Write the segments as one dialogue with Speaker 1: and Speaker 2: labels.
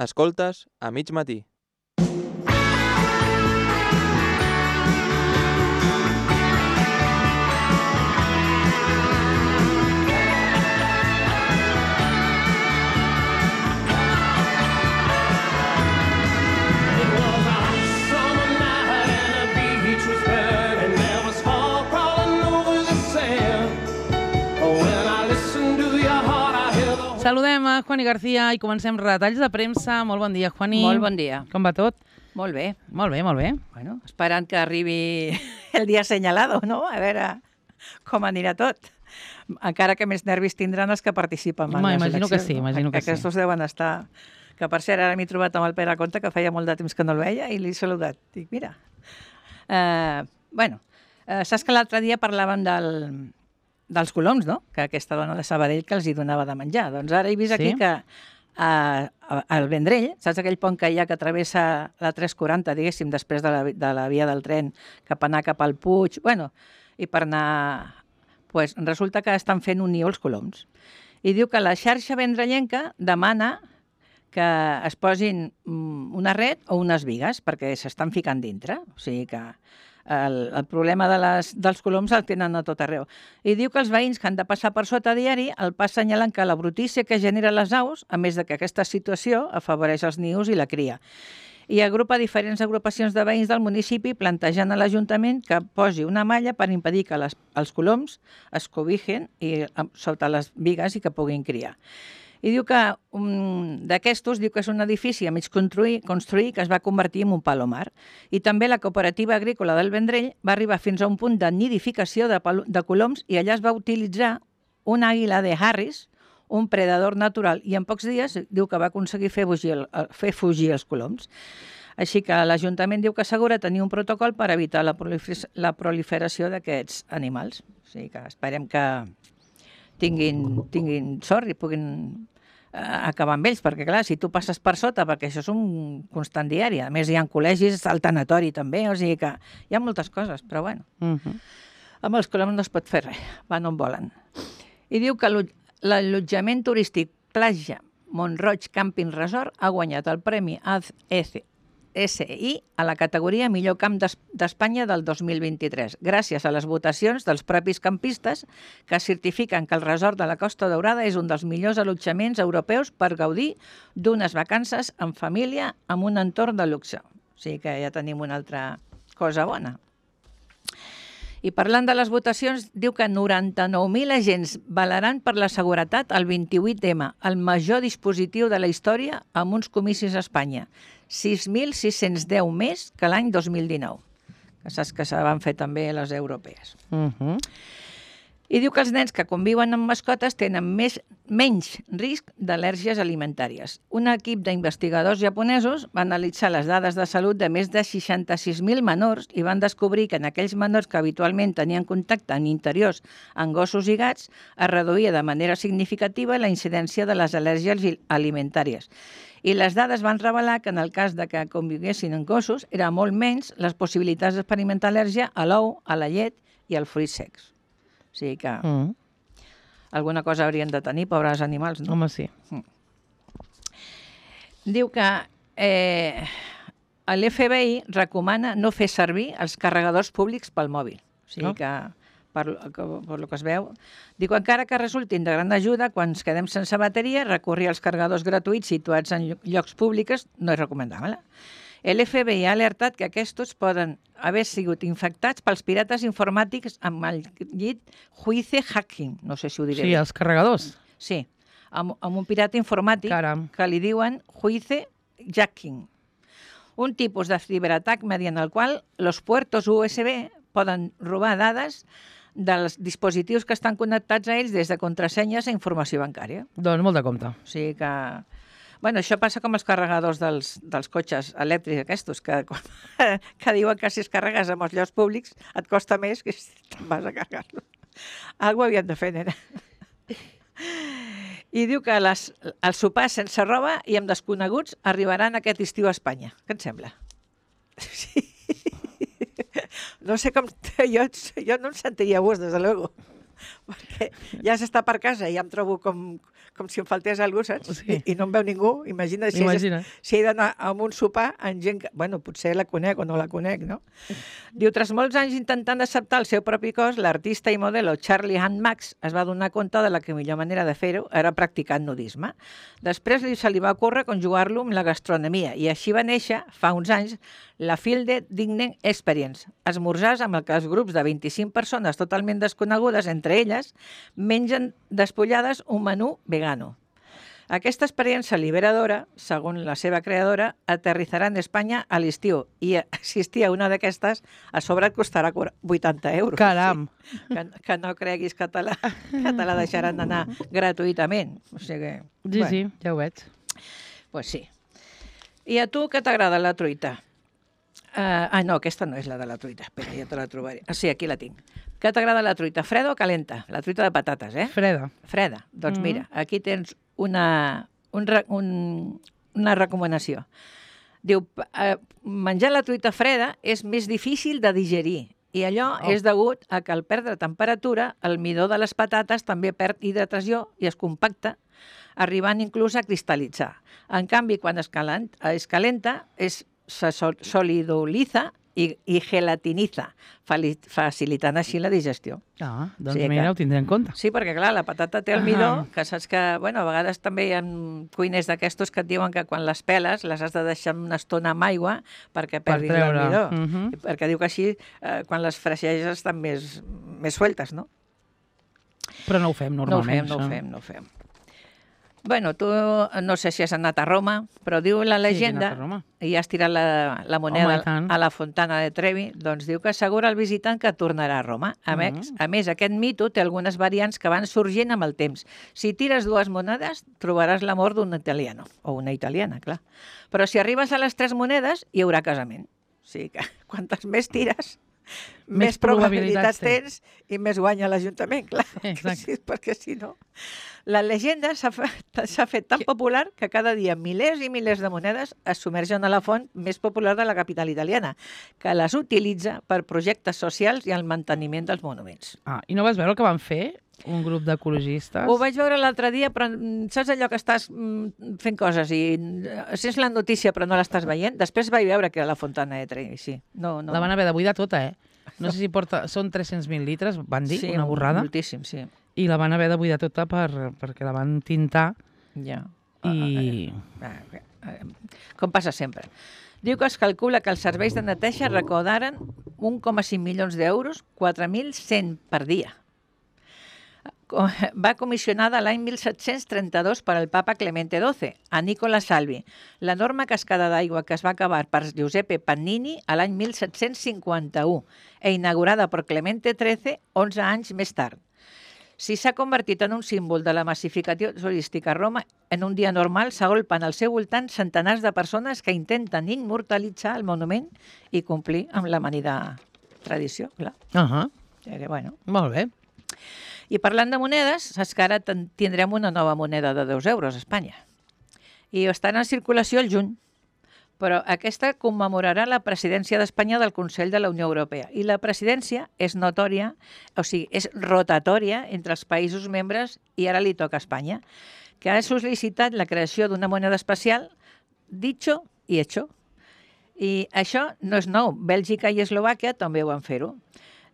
Speaker 1: Escoltes a mig matí.
Speaker 2: Saludem a Juani García i comencem retalls de premsa. Molt bon dia, Juani.
Speaker 3: Molt bon dia.
Speaker 2: Com va tot?
Speaker 3: Molt bé.
Speaker 2: Molt bé, molt bé.
Speaker 3: Bueno, esperant que arribi el dia assenyalado, no? A veure com anirà tot. Encara que més nervis tindran els que participen en les
Speaker 2: Imagino
Speaker 3: eleccions.
Speaker 2: que sí, imagino que sí.
Speaker 3: Aquests deuen estar... Que per cert, ara m'he trobat amb el Pere Conte, que feia molt de temps que no el veia, i l'he saludat. Dic, mira... saps que l'altre dia parlàvem dels coloms, no? Que aquesta dona de Sabadell que els hi donava de menjar. Doncs ara he vist aquí que al Vendrell, saps aquell pont que hi ha que travessa la 340, diguéssim, després de la via del tren, cap anar cap al Puig, bueno, i per anar... Pues, resulta que estan fent un niu els coloms. I diu que la xarxa vendrellenca demana que es posin una red o unes bigues, perquè s'estan ficant dintre. O sigui que el problema dels coloms el tenen a tot arreu. I diu que els veïns que han de passar per sota diari el pas assenyalant que la brutícia que genera les aus, a més de que aquesta situació afavoreix els nius i la cria. I agrupa diferents agrupacions de veïns del municipi plantejant a l'Ajuntament que posi una malla per impedir que els coloms es cobijen sota les bigues i que puguin criar. I diu que d'aquestos diu que és un edifici a mig construir que es va convertir en un palomar. I també la cooperativa agrícola del Vendrell va arribar fins a un punt de nidificació de coloms i allà es va utilitzar una àguila de Harris, un predador natural, i en pocs dies diu que va aconseguir fer fugir els coloms. Així que l'Ajuntament diu que assegura tenir un protocol per evitar la proliferació d'aquests animals. O sigui que esperem que tinguin sort i puguin acabar amb ells, perquè clar, si tu passes per sota, perquè això és un constant diari, a més hi ha col·legis, el tanatori també, o sigui que hi ha moltes coses, però bueno, amb els coloms no es pot fer res, van on volen. I diu que l'allotjament turístic Platja Mont-roig Camping Resort ha guanyat el Premi ACSI a la categoria Millor Camp d'Espanya del 2023, gràcies a les votacions dels propis campistes que certifiquen que el resort de la Costa Daurada és un dels millors allotjaments europeus per gaudir d'unes vacances en família amb un entorn de luxe. O sigui que ja tenim una altra cosa bona. I parlant de les votacions, diu que 99.000 agents velaran per la seguretat el 28M, el major dispositiu de la història amb uns comicis a Espanya. 6.610 més que l'any 2019, que saps que se van fer també les europees. I diu que els nens que conviuen amb mascotes tenen menys risc d'al·lèrgies alimentàries. Un equip d'investigadors japonesos va analitzar les dades de salut de més de 66.000 menors i van descobrir que en aquells menors que habitualment tenien contacte en interiors amb gossos i gats es reduïa de manera significativa la incidència de les al·lèrgies alimentàries. I les dades van revelar que en el cas de que conviguessin amb gossos era molt menys les possibilitats d'experimentar al·lèrgia a l'ou, a la llet i al fruit secs. O sigui que alguna cosa haurien de tenir, pobres animals, no?
Speaker 2: Home, sí.
Speaker 3: Diu que l'FBI recomana no fer servir els carregadors públics pel mòbil. O sigui que, per lo que es veu, diu que encara que resultin de gran ajuda, quan ens quedem sense bateria, recórrer als carregadors gratuïts situats en llocs públics no és recomanable. L'FBI ha alertat que aquests poden haver sigut infectats pels pirates informàtics amb el llit Juice Hacking, no sé si ho diré.
Speaker 2: Sí, els carregadors.
Speaker 3: Sí, amb un pirata informàtic que li diuen Juice Hacking. Un tipus de ciberatac mediante el qual els puertos USB poden robar dades dels dispositius que estan connectats a ells des de contrasenyes a informació bancària.
Speaker 2: Doncs molt de compte.
Speaker 3: O sigui que... Bueno, això passa com els carregadors dels cotxes elèctrics aquests, que diuen que si es carregues amb els llocs públics et costa més que si te'n vas a carregar-lo. Algo havien de fer, nena. I diu que els sopars sense roba i amb desconeguts arribaran aquest estiu a Espanya. Què et sembla? Sí. No sé com... Jo no em sentiria a gust, des de luego. perquè ja s'està per casa i ja em trobo com si em faltés algú, saps?
Speaker 2: Sí.
Speaker 3: I no em veu ningú. Imagina't si he d'anar a un sopar amb gent que, bueno, potser la conec o no la conec, no? Diu, tras molts anys intentant acceptar el seu propi cos, l'artista i modelo Charlie Hunt Max es va donar compte de la que millor manera de fer-ho era practicar nudisme. Després se li va ocórrer conjugar-lo amb la gastronomia i així va néixer, fa uns anys, la Field Dining Experience, esmorzars amb el que els grups de 25 persones totalment desconegudes entre elles mengen despullades un menú vegano. Aquesta experiència liberadora, segons la seva creadora, aterritzarà en Espanya a l'estiu i assistir a una d'aquestes a sobre et costarà 80 euros.
Speaker 2: Caram!
Speaker 3: Sí. Que no creguis que te la deixaran anar gratuïtament. O sigui,
Speaker 2: Sí, ja ho veig.
Speaker 3: Pues sí. I a tu què t'agrada la truita? No, aquesta no és la de la truita. Espera, ja te la trobaré. Sí, aquí la tinc. Què t'agrada la truita? Freda o calenta? La truita de patates, eh?
Speaker 2: Freda.
Speaker 3: Freda. Doncs mira, aquí tens una recomanació. Diu, menjar la truita freda és més difícil de digerir i allò és degut a que al perdre temperatura, el midó de les patates també perd hidratació i es compacta, arribant inclús a cristal·litzar. En canvi, quan es calenta, se solidoliza i gelatiniza, facilitant així la digestió.
Speaker 2: Doncs mira, ho tindré en compte.
Speaker 3: Sí, perquè clar, la patata té el midó, que saps que, bueno, a vegades també hi ha cuiners d'aquestos que et diuen que quan les peles les has de deixar una estona amb aigua perquè perdis el midó. Perquè diu que així, quan les fregeixes estan més sueltes, no?
Speaker 2: Però no ho fem normalment.
Speaker 3: No ho fem. Bueno, tu no sé si has anat a Roma, però diu la llegenda, i has tirat la moneda a la Fontana de Trevi, doncs diu que assegura al visitant que tornarà a Roma. A més, aquest mito té algunes variants que van sorgint amb el temps. Si tires 2 monedes, trobaràs l'amor d'un italiano, o una italiana, clar. Però si arribes a les 3 monedes, hi haurà casament. O sigui que quantes més tires, més probabilitats tens i més guanya l'Ajuntament, clar. Perquè si no... La llegenda s'ha fet tan popular que cada dia milers i milers de monedes es submergen a la font més popular de la capital italiana, que les utilitza per projectes socials i el manteniment dels monuments.
Speaker 2: I no vas veure el que van fer un grup d'ecologistes?
Speaker 3: Ho vaig veure l'altre dia, però saps allò que estàs fent coses i sents la notícia però no l'estàs veient? Després vaig veure que era la Fontana de Trevi, sí.
Speaker 2: La van haver de buidar tota, No sé si són 300.000 litres, van dir, una borrada.
Speaker 3: Sí, moltíssim, sí.
Speaker 2: I la van haver de buidar tota perquè la van tintar.
Speaker 3: Ja. Com passa sempre. Diu que es calcula que els serveis de neteja recaudaren 1,5 milions d'euros, 4.100 per dia. Va comissionada l'any 1732 per al papa Clemente XII, a Nicola Salvi, l'enorme cascada d'aigua que es va acabar per Giuseppe Pannini a l'any 1751 e inaugurada per Clemente XIII 11 anys més tard. Si s'ha convertit en un símbol de la massificació turística a Roma, en un dia normal s'agolpen al seu voltant centenars de persones que intenten immortalitzar el monument i complir amb l'amanida tradició, clar.
Speaker 2: Molt bé.
Speaker 3: I parlant de monedes, saps que ara tindrem una nova moneda de 2 euros a Espanya. I estarà en circulació el juny, però aquesta commemorarà la presidència d'Espanya del Consell de la Unió Europea. I la presidència és notòria, o sigui, és rotatòria entre els països membres i ara li toca a Espanya, que ha sol·licitat la creació d'una moneda especial, dicho i hecho. I això no és nou. Bèlgica i Eslovàquia també ho van fer-ho.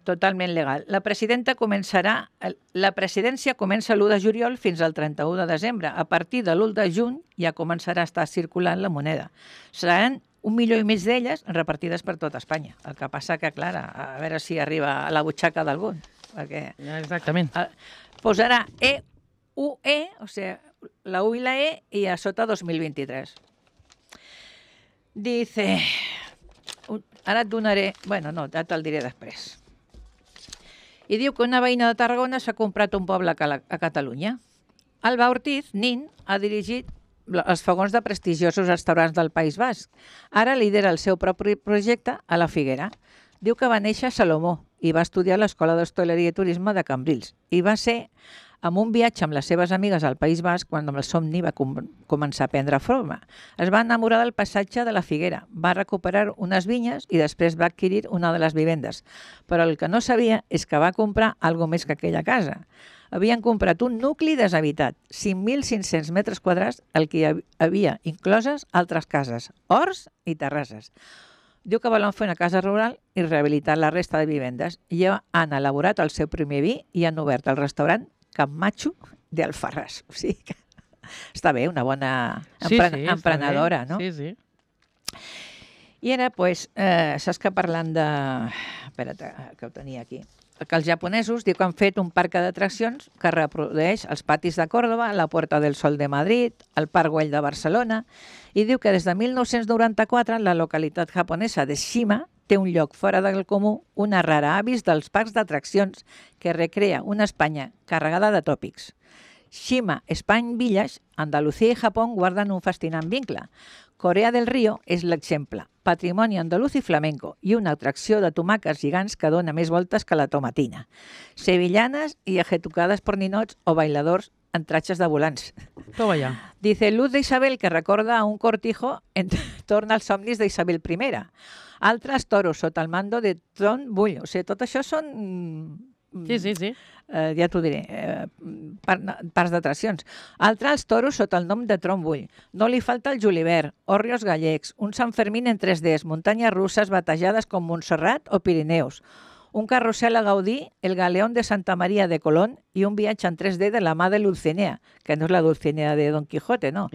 Speaker 3: Totalment legal. La presidència comença l'1 de juliol fins al 31 de desembre. A partir de l'1 de juny ja començarà a estar circulant la moneda. Seran 1,5 milió d'elles repartides per tot Espanya. El que passa que, clar, a veure si arriba a la butxaca d'algun.
Speaker 2: Exactament.
Speaker 3: Posarà EUE, o sigui, la U i la E, i a sota 2023. Dice... Ara et donaré... Bueno, no, ja te'l diré després. I diu que una veïna de Tarragona s'ha comprat un poble a Catalunya. Alba Ortiz, nin, ha dirigit els fogons de prestigiosos restaurants del País Basc. Ara lidera el seu propi projecte a la Figuera. Diu que va néixer a Salomó i va estudiar a l'Escola d'Hostaleria i Turisme de Cambrils. I va ser amb un viatge amb les seves amigues al País Basc quan el somni va començar a prendre forma. Es va enamorar del passatge de la Figuera, va recuperar unes vinyes i després va adquirir una de les vivendes. Però el que no sabia és que va comprar alguna més que aquella casa. Havien comprat un nucli deshabitat, 5.500 metres quadrats, el que hi havia incloses altres cases, horts i terrasses. Diu que volen fer una casa rural i rehabilitar la resta de vivendes. Ja han elaborat el seu primer vi i han obert el restaurant Camacho de Alfarràs. O sigui que està bé, una bona emprenedora, no?
Speaker 2: Sí, sí.
Speaker 3: I ara, doncs, saps que parlant de... Espera't, que ho tenia aquí. Que els japonesos diu que han fet un parc d'atraccions que reprodueix els patis de Còrdova, la Puerta del Sol de Madrid, el Parc Güell de Barcelona, i diu que des de 1994 la localitat japonesa de Shima té un lloc fora del comú, una rara avis dels parcs d'atraccions que recrea una Espanya carregada de tòpics. Shima Spine Village, Andalucía i Japó guarden un fascinant vincle. Corea del Río és l'exemple, patrimoni andaluz i flamenco, i una atracció de tomaques gegants que dona més voltes que la tomatina. Sevillanes i ejecucades por ninots o bailadors en tratges de volants.
Speaker 2: Toma ja.
Speaker 3: Dice Luz de Isabel que recorda a un cortijo en torn als somnis d'Isabel I. Altres toros sota el mando de Tron Bull. O sigui, tot això són...
Speaker 2: Sí.
Speaker 3: Ja t'ho diré, parcs d'atraccions. Altres toros sota el nom de Tron Bull. No li falta el julivert, hòrrios gallecs, un Sant Fermín en 3Ds, muntanyes russes batejades com Montserrat o Pirineus, un carrusel a Gaudí, el Galeón de Santa María de Colón i un viatge en 3D de la mà de Dulcinea, que no és la Dulcinea de Don Quijote, no.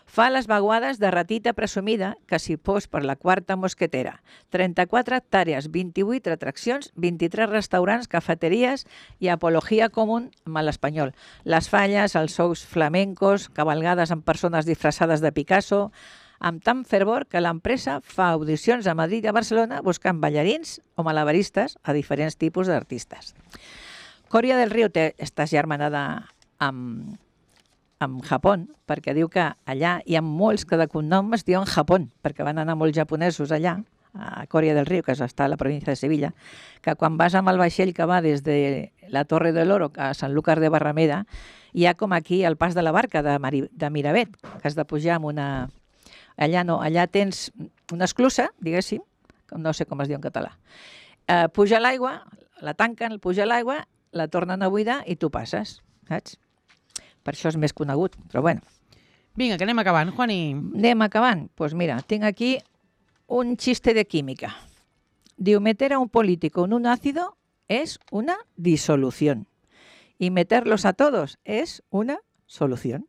Speaker 3: Fa les vaguades de ratita presumida que s'hi pos per la quarta mosquetera. 34 hectàrees, 28 atraccions, 23 restaurants, cafeteries i apologia común amb l'espanyol. Les falles, els shows flamencos, cavalgades amb persones disfressades de Picasso, amb tant fervor que l'empresa fa audicions a Madrid i a Barcelona buscant ballarins o malabaristes a diferents tipus d'artistes. Corea del Río està germanada amb Japó, perquè diu que allà hi ha molts que de cognom es diuen Japó, perquè van anar molts japonesos allà, a Corea del Río, que està a la província de Sevilla, que quan vas amb el vaixell que va des de la Torre del Oro a Sant Lucas de Barrameda, hi ha com aquí el pas de la barca de Miravet, que has de pujar amb una... Allà no, allà tens una esclusa, diguéssim, no sé com es diu en català. Puja l'aigua, la tanquen, puja l'aigua, la tornen a buidar i tu passes, saps? Per això és més conegut, però bueno.
Speaker 2: Vinga, que anem acabant, Juani.
Speaker 3: Anem acabant. Pues mira, tinc aquí un chiste de química. Diu, meter a un político en un ácido es una disolución. Y meterlos a todos es una solución.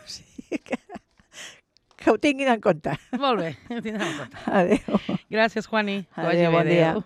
Speaker 3: Sí, que ho tinguin en compte.
Speaker 2: Molt bé, ho tindrem en compte.
Speaker 3: Adéu.
Speaker 2: Gràcies, Juani.
Speaker 3: Adéu, bon dia.